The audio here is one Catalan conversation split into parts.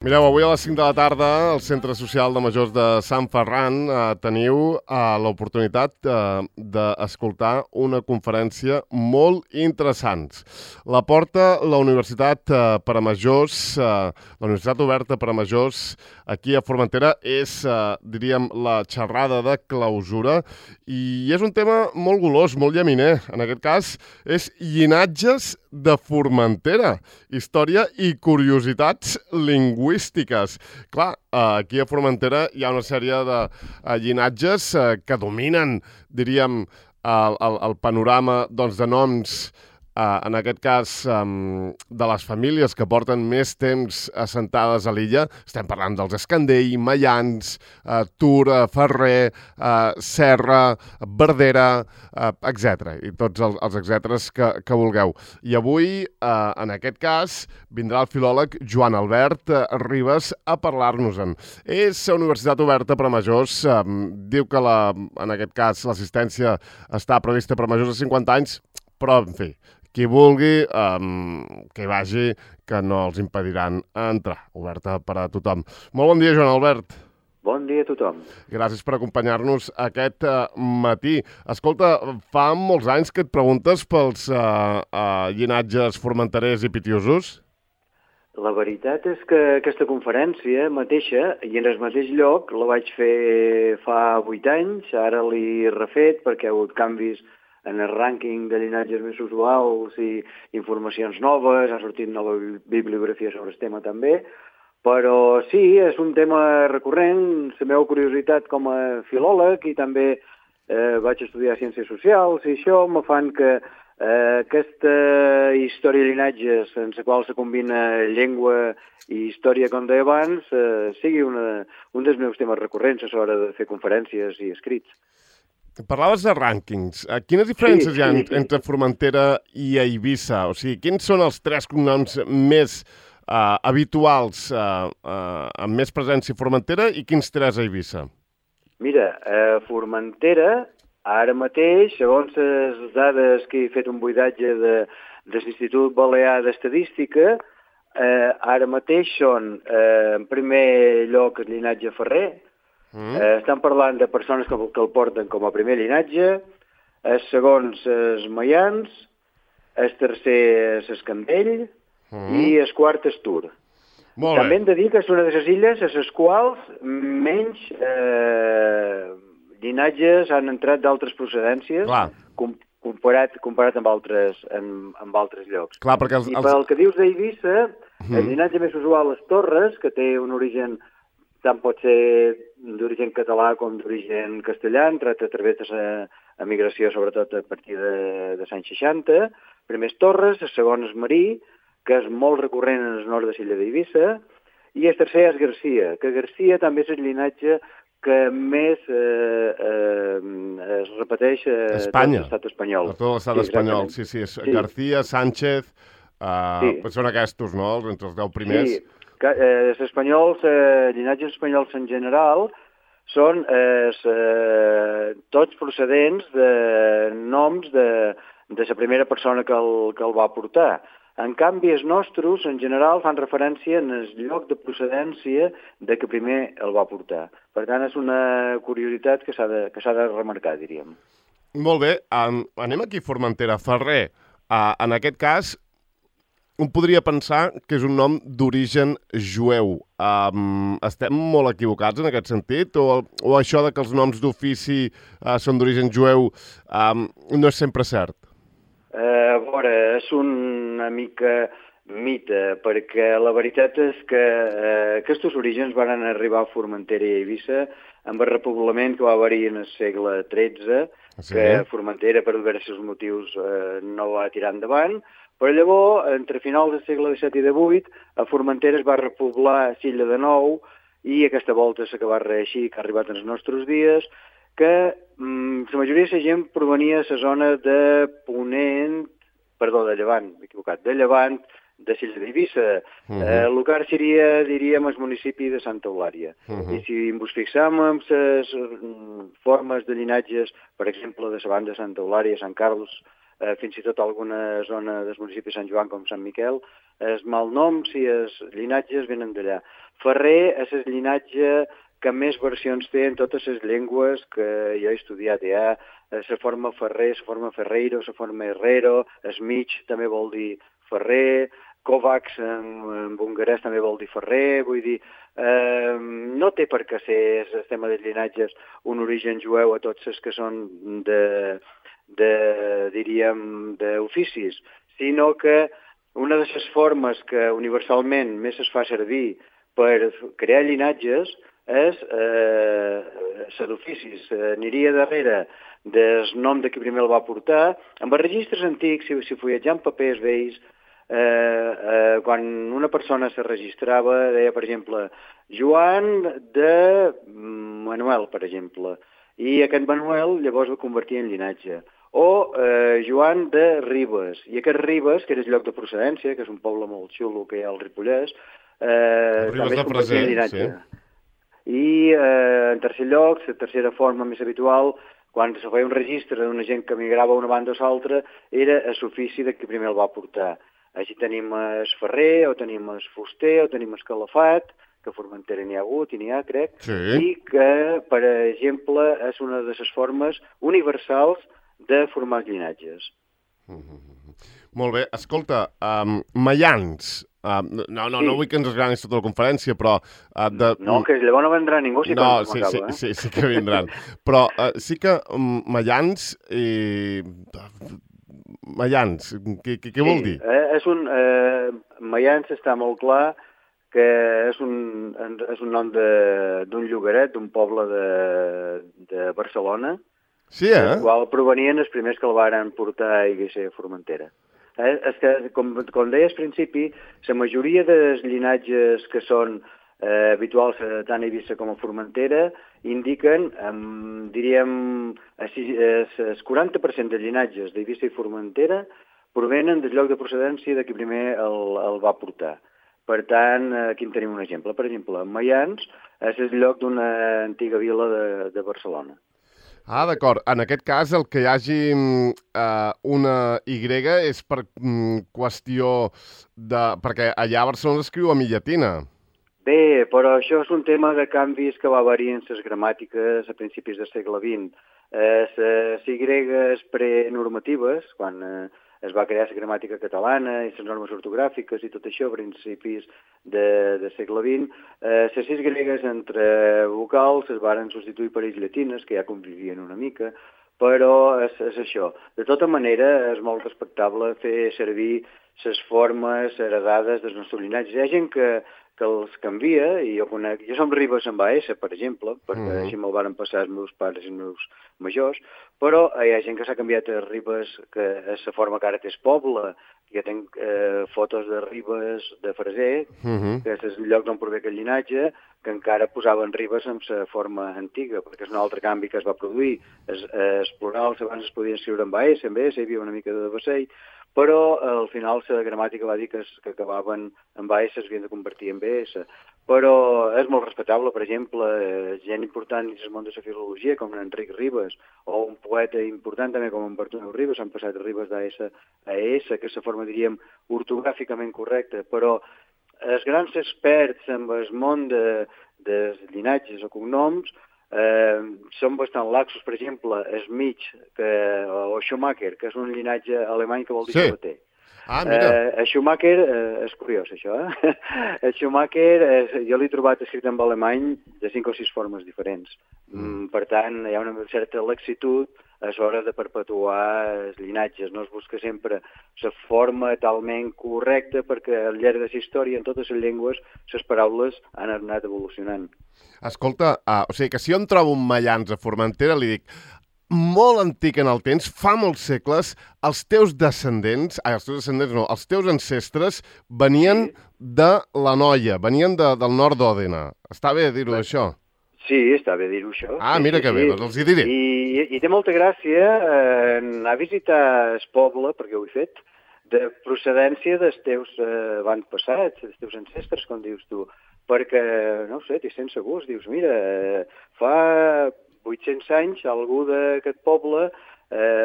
Mireu, avui a les 5 de la tarda al Centre Social de Majors de Sant Ferran teniu l'oportunitat d'escoltar una conferència molt interessant. La porta la Universitat per a Majors, la Universitat Oberta per a Majors, aquí a Formentera, és, diríem, la xerrada de clausura i és un tema molt golós, molt llaminer. En aquest cas, és llinatges de Formentera, història i curiositats lingüístiques. Clar, aquí a Formentera hi ha una sèrie de llinatges que dominen, diríem, el panorama doncs, de noms, en aquest cas, de les famílies que porten més temps assentades a l'illa. Estem parlant dels Escandell, Maians, Tura, Ferrer, Serra, Verdera, etc. I tots els etcèteres que vulgueu. I avui, en aquest cas, vindrà el filòleg Joan Albert Ribas a parlar-nos-en. És a Universitat Oberta per a Majors. Diu que, en aquest cas, l'assistència està prevista per a majors de 50 anys, però, en fi, qui vulgui, que hi vagi, que no els impediran entrar. Oberta per a tothom. Molt bon dia, Joan Albert. Bon dia a tothom. Gràcies per acompanyar-nos aquest matí. Escolta, fa molts anys que et preguntes pels llinatges formenterers i pitiosos? La veritat és que aquesta conferència mateixa, i en el mateix lloc, la vaig fer fa 8 anys, ara l'he refet perquè hi ha hagut canvis en el rànquing de llinatges més usuals i informacions noves, ha sortit nova bibliografia sobre el tema també, però sí, és un tema recurrent, la meva curiositat com a filòleg i també vaig estudiar Ciències Socials i això me fan que aquesta història de llinatges en la qual se combina llengua i història, com deia abans, sigui un dels meus temes recurrents a l'hora de fer conferències i escrits. Parlaves de rànquings. Quines diferències hi ha entre Formentera i Eivissa? O sigui, quins són els 3 cognoms més habituals amb més presència a Formentera i quins 3 a Eivissa? Mira, a Formentera, ara mateix, segons les dades que he fet un buidatge de l'Institut Balear d'Estadística, ara mateix són, en primer lloc, el llinatge Ferrer. Estan parlant de persones que el porten com a primer llinatge, el segon els Maians, el tercer l'Escandell i el quart és Tur. També hem de dir que és una de les illes a les quals menys llinatges han entrat d'altres procedències comparat amb altres llocs. Clar, perquè I pel que dius d'Eivissa, el llinatge més usual és Torres, que té un origen tant pot ser d'origen català com d'origen castellà, entrat a través de l'emigració, sobretot a partir de l'any 60. Primer és Torres, el segon és Marí, que és molt recurrent en el nord de l'illa d'Eivissa, i el tercer és Garcia, que Garcia també és el llinatge que més es repeteix a tot l'estat espanyol. A tot l'estat espanyol, sí. García, Sánchez, són aquests, no?, entre els 10 primers. Sí. Els espanyols, llinatges espanyols en general, són tots procedents de noms de la primera persona que el va portar. En canvi, els nostres, en general, fan referència en el lloc de procedència de que primer el va portar. Per tant, és una curiositat que s'ha de remarcar, diríem. Molt bé. Anem aquí a Formentera. Ferrer, en aquest cas, un podria pensar que és un nom d'origen jueu. Estem molt equivocats en aquest sentit? O això de que els noms d'ofici són d'origen jueu no és sempre cert? A veure, és una mica mite, perquè la veritat és que aquests orígens van arribar a Formentera i Eivissa amb el repoblament que va haver-hi en el segle XIII, que Formentera, per diversos motius, no va tirar endavant. Però llavors, entre finals del segle XVII i XVIII, a Formentera es va repoblar l'illa de nou i aquesta volta s'ha acabat reeixir, que ha arribat als nostres dies, que la majoria de la gent provenia de la zona de de Llevant, m'he equivocat, de Llevant, de l'illa d'Eivissa. El lugar seria, diríem, el municipi de Santa Eulària. I si ens fixam en les formes de llinatges, per exemple, de la banda de Santa Eulària, Sant Carlos, fins i tot alguna zona del municipi de Sant Joan com Sant Miquel, els malnoms i els llinatges venen d'allà. Ferrer és el llinatge que més versions té en totes les llengües que jo he estudiat. Hi ha la forma Ferrer, la forma Ferreiro, la forma Herrero, Smich també vol dir Ferrer, Kovacs en hongarès també vol dir Ferrer, vull dir, no té per què ser el tema dels llinatges un origen jueu a tots els que són diríem, d'oficis, sinó que una de les formes que universalment més es fa servir per crear llinatges és la d'oficis. Aniria darrere del nom de qui primer el va portar. Amb els registres antics, si fulletjant papers vells, quan una persona se registrava, deia, per exemple, Joan de Manuel, per exemple, i aquest Manuel llavors va convertir en llinatge. O Joan de Ribes, i aquest Ribes, que era el lloc de procedència, que és un poble molt xulo que hi ha al Ripollès, també es convertia en llinatge. Sí. I en tercer lloc, la tercera forma més habitual, quan se feia un registre d'una gent que migrava d'una banda a l'altra, era l'ofici de qui primer el va portar. Així tenim el ferrer, o tenim el fuster, o tenim el calafat, que a Formentera n'hi ha hagut i n'hi ha, crec, i que, per exemple, és una de les formes universals de formar llinatges. Molt bé. Escolta, maians. No vull que ens esgranis tota la conferència, però... No, que llavors no vendrà ningú si no, sí que vindran. Però sí que maians i... Maians, què vol dir? Maians està molt clar que és un nom d'un llogaret, d'un poble de Barcelona, del qual provenien els primers que el varen portar a Eivissa a Formentera. És que, com deies al principi, la majoria dels llinatges que són habituals tant a Eivissa com a Formentera indiquen, diríem, el 40% de llinatges d'Eivissa i Formentera provenen del lloc de procedència de qui primer el va portar. Per tant, aquí en tenim un exemple. Per exemple, Maians és el lloc d'una antiga vila de Barcelona. Ah, d'acord. En aquest cas, el que hi hagi una Y és per qüestió de... perquè allà a Barcelona s'escriu amb i llatina. Bé, però això és un tema de canvis que va haver-hi en les gramàtiques a principis del segle XX. Les Y prenormatives, quan es va crear la gramàtica catalana i les normes ortogràfiques i tot això a principis del segle XX, les 6 gregues entre vocals es varen substituir per ells llatines, que ja convivien una mica, però és això. De tota manera, és molt respectable fer servir les formes heredades dels nostres llinatges. Hi ha gent que els canvia, i jo conec... Jo som Ribes amb AS, per exemple, perquè així me'l varen passar els meus pares i els meus majors, però hi ha gent que s'ha canviat a Ribes, que és la forma que ara té el poble. Jo tinc fotos de Ribes de Freser, que és el lloc d'on prové aquest llinatge, que encara posaven Ribes amb la forma antiga, perquè és un altre canvi que es va produir. Els plurals abans es podien escriure amb AS, amb S, hi havia una mica de vassell, però al final la gramàtica va dir que acabaven amb AS s'havien de convertir en BS. Però és molt respectable, per exemple, gent important dins el món de la filologia, com Enric Ribes, o un poeta important també com en Bartomeu Ribes, han passat Ribes d'AS a S, que és la forma, diríem, ortogràficament correcta, però els grans experts en el món dels llinatges o cognoms són bastant laxos. Per exemple, Smich o Schumacher, que és un llinatge alemany que vol dir sabater. Ah, mira. Schumacher, és curiós això, El Schumacher, jo l'he trobat escrit en alemany de 5 o 6 formes diferents. Per tant, hi ha una certa laxitud a l'hora de perpetuar els llinatges. No es busca sempre la forma talment correcta, perquè al llarg de la història, en totes les llengües, les paraules han anat evolucionant. Escolta, o sigui que si jo em trobo un Maians a Formentera, li dic, molt antic en el temps, fa molts segles, els teus ancestres venien de l'Anoia, venien del nord d'Òdena. Està bé dir-ho, això? Sí, està bé dir-ho, això. Ah, mira que bé, doncs els hi diré. I té molta gràcia anar a visitar el poble, perquè ho he fet, de procedència dels teus avantpassats, dels teus ancestres, com dius tu, perquè, no sé, t'hi sents segur, dius, mira, fa 800 anys algú d'aquest poble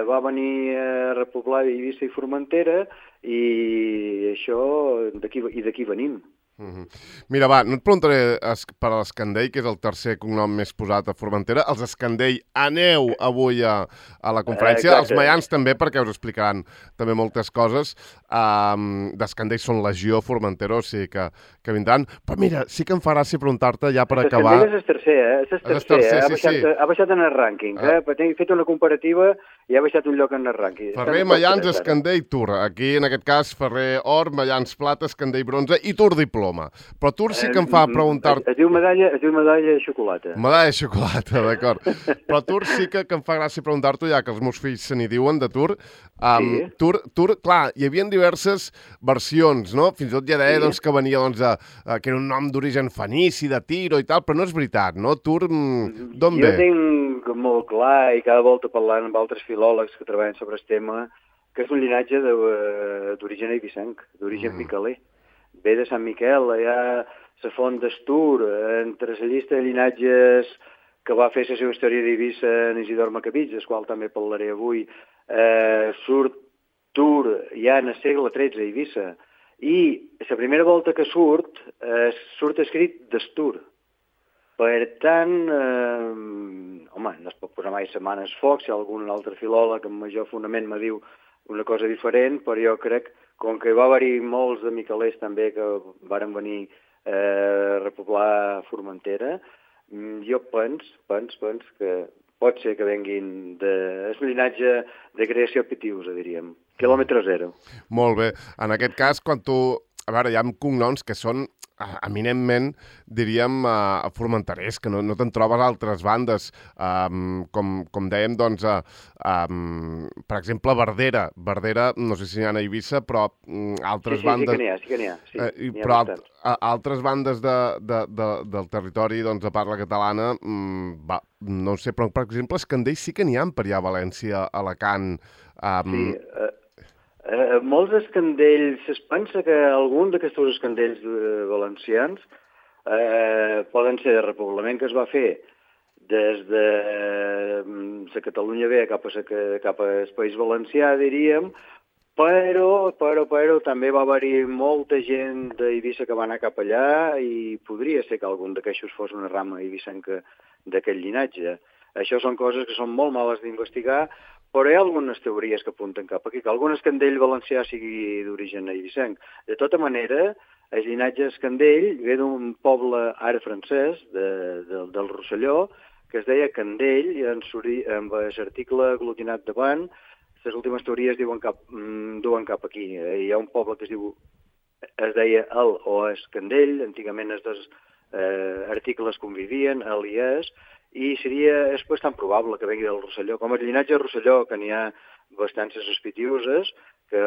va venir a repoblar Eivissa i Formentera i això, d'aquí venim. Mira, va, no et preguntaré per l'Escandell, que és el tercer cognom més posat a Formentera. Els Escandell, aneu avui a la conferència. Els Exacte. maians també, perquè us explicaran també moltes coses. D'Escandell són Legió, Formentera, o sigui que vindran. Però mira, sí que em fa gràcia preguntar-te ja per acabar... L'Escandell és el tercer, És el tercer, sí. Ha baixat en el rànquing, He fet una comparativa i ha baixat un lloc en el rànquing. Ferrer, Maians, Escandell, Tour. Aquí, en aquest cas, Ferrer, or, Maians, plata, Escandell, bronze i Tour, diploma. Però Tour sí que em fa preguntar-te... Es diu medalla de xocolata. Medalla de xocolata, d'acord. Però Tour sí que em fa gràcia preguntar-t'ho, ja que els meus fills se n'hi diuen de Tour. Sí. Tour, clar, hi havia diverses versions, no? Fins i tot ja deia que venia, que era un nom d'origen fenici, de Tiro i tal, però no és veritat, no? Tour, d'on ve? Jo tinc molt clar, i cada volta parlant amb altres filòlegs que treballen sobre el tema, que és un llinatge d'origen eivissenc, d'origen miquelè. Ve de Sant Miquel, hi ha la font d'Estur, entre la llista de llinatges que va fer la seva història d'Eivissa en Isidor Macabits, del qual també parlaré avui, surt Tour ja en el segle XIII a Eivissa, i la primera volta que surt escrit d'Estur. Per tant, home, no es pot posar mai la mà en el foc, si algun altre filòleg amb major fonament me diu una cosa diferent, però jo crec, com que va haver-hi molts de miquelers també que varen venir a repoblar Formentera, jo penso que pot ser que venguin és un llinatge de creació pitiusa, diríem. Quilòmetre zero. Molt bé. En aquest cas, quan tu... A veure, hi ha cognoms que són eminentment, diríem, formenterers, que no te'n trobes a altres bandes. Com dèiem, doncs, per exemple, Verdera. Verdera, no sé si n'hi ha a Eivissa, però altres bandes... Sí que n'hi ha. Però altres bandes del territori de parla catalana, no sé, però per exemple, Escandell sí que n'hi ha per allà a València, a Alacant... Sí, molts escandells, es pensa que algun d'aquests escandells valencians poden ser de repoblament que es va fer des de la Catalunya Vella cap al País Valencià, diríem, però també va haver-hi molta gent d'Eivissa que va anar cap allà i podria ser que algun d'aquests fos una rama eivissenca d'aquest llinatge. Això són coses que són molt males d'investigar, però hi ha algunes teories que apunten cap aquí, que algun escandell valencià sigui d'origen eivissenc. De tota manera, el llinatge escandell ve d'un poble ara francès, del Rosselló, que es deia Candell, i amb l'article aglutinat davant, les últimes teories duen cap aquí. Hi ha un poble que es deia El o Escandell, antigament els dos articles convivien, El i Es, i és bastant probable que vengui del Rosselló. Com el llinatge Rosselló, que n'hi ha bastantes sospitioses, que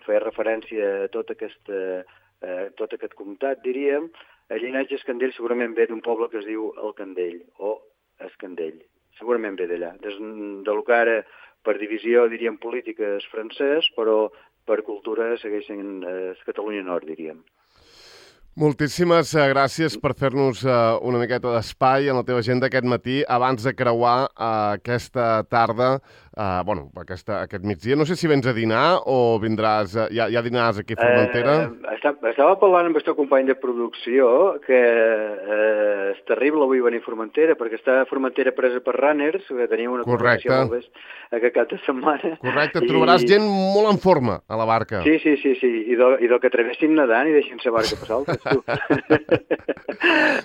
feia referència a tot aquest comtat, diríem, el llinatge Escandell segurament ve d'un poble que es diu El Candell, o Escandell. Segurament ve d'allà. De lo que ara, per divisió, diríem, política és francès, però per cultura segueix sent Catalunya Nord, diríem. Moltíssimes gràcies per fer-nos una miqueta d'espai en la teva agenda aquest matí, abans de creuar aquesta tarda, aquest migdia. No sé si vens a dinar o vindràs, ja dinaràs aquí a Formentera. Estava parlant amb el teu company de producció que és terrible avui venir a Formentera, perquè està a Formentera presa per runners, que tenim una conferència molt bé aquest cap de setmana. Correcte, trobaràs gent molt en forma a la barca. Sí, i del que travessin nedant i deixin la barca passar altres.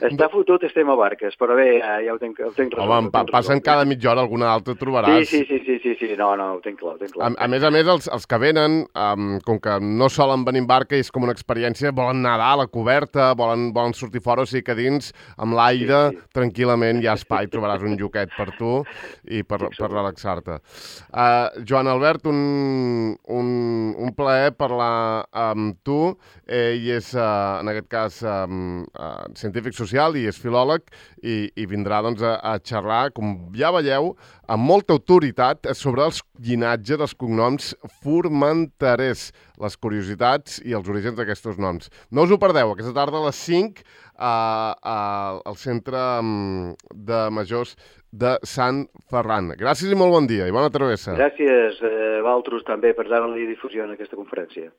Està fotut, estem a barques, però bé, ja ho tenc resolt. Home, passen cada mitja hora alguna altra trobaràs. Sí, no, ho tenc clar. A més, els que venen, com que no solen venir en barca i és com una experiència, volen nedar a la coberta, volen sortir fora, o sigui que dins, amb l'aire, tranquil·lament hi ha espai, trobaràs un lloquet per tu i per relaxar-te. Joan Albert, un plaer parlar amb tu. Ell és, en aquest cas, científic social i és filòleg i vindrà a xerrar, com ja veieu, amb molta autoritat sobre els llinatges, els cognoms formenterers, les curiositats i els orígens d'aquests noms. No us ho perdeu, aquesta tarda a les 5 al Centre de Majors de Sant Ferran. Gràcies i molt bon dia i bona travessa. Gràcies a vosaltres també per dar-li difusió en aquesta conferència.